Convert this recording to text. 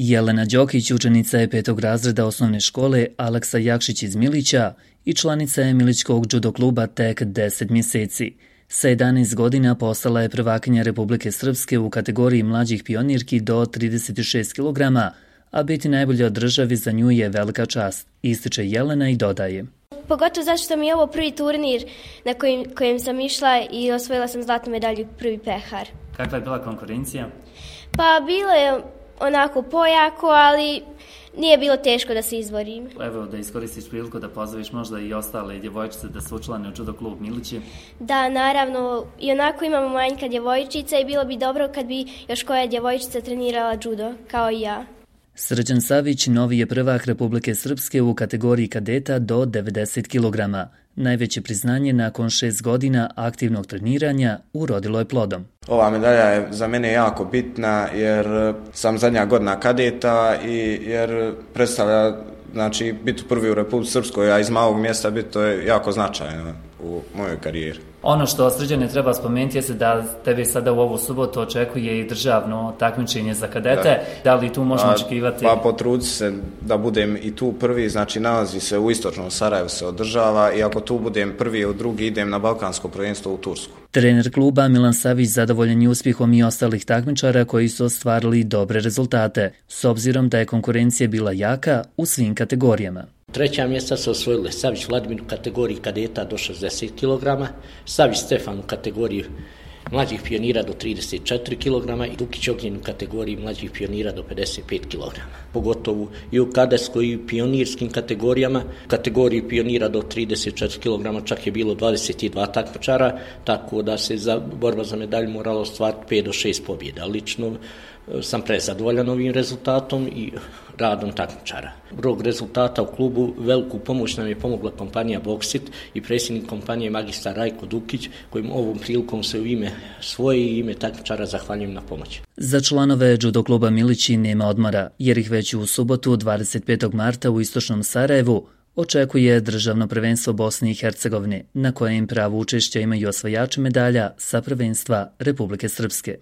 Jelena Đokić, učenica je 5. razreda osnovne škole Aleksa Jakšić iz Milića i članica je Milićkog judo kluba tek 10 mjeseci. Sa 11 godina postala je prvakinja Republike Srpske u kategoriji mlađih pionirki do 36 kg, a biti najbolja od državi za nju je velika čast, ističe Jelena i dodaje. Pogotovo zato što mi je ovo prvi turnir na kojem sam išla i osvojila sam zlatnu medalju prvi pehar. Kakva je bila konkurencija? Pa bilo je onako pojako, ali nije bilo teško da se izborim. Evo, da iskoristiš priliku da pozoveš možda i ostale djevojčice da se učlane u judo klub Milići. Da, naravno, i onako imamo manjka djevojčica i bilo bi dobro kad bi još koja djevojčica trenirala judo, kao i ja. Srđan Savić novi je prvak Republike Srpske u kategoriji kadeta do 90 kg. Najveće priznanje nakon 6 godina aktivnog treniranja urodilo je plodom. Ova medalja je za mene jako bitna jer sam zadnja godina kadeta i jer predstavlja biti prvi u Republici Srpskoj, a iz malog mjesta biti to je jako značajno u mojoj karijeri. Ono što Srđane treba spomenuti je da tebe sada u ovu subotu očekuje i državno takmičenje za kadete. Da li tu možemo očekivati? Pa potrudi se da budem i tu prvi, nalazi se u istočnom Sarajevu, se održava i ako tu budem prvi u drugi idem na balkansko prvenstvo u Tursku. Trener kluba Milan Savić zadovoljan je uspjehom i ostalih takmičara koji su ostvarili dobre rezultate, s obzirom da je konkurencija bila jaka u svim kategorijama. Treća mjesta su osvojile Savić Vladimir u kategoriji kadeta do 60 kg, Savić Stefan u kategoriji mlađih pionira do 34 kg i Dukić Ognjen u kategoriji mlađih pionira do 55 kg. Pogotovo i u kadetskoj i pionirskim kategorijama, u kategoriji pionira do 34 kg čak je bilo 22 takmičara, tako da se za borba za medalju moralo ostvariti 5 do 6 pobjeda. Lično sam prezadovoljan ovim rezultatom i radom takmičara. Zbog rezultata u klubu veliku pomoć nam je pomogla kompanija Boksit i predsjednik kompanije magistar Rajko Dukić, kojim ovom prilikom se u ime svoje i ime takmičara zahvaljujem na pomoći. Za članove judo kluba Milići nema odmora, jer ih već u subotu 25. marta u istočnom Sarajevu očekuje državno prvenstvo Bosne i Hercegovine, na kojem pravo učešća imaju osvajači medalja sa prvenstva Republike Srpske.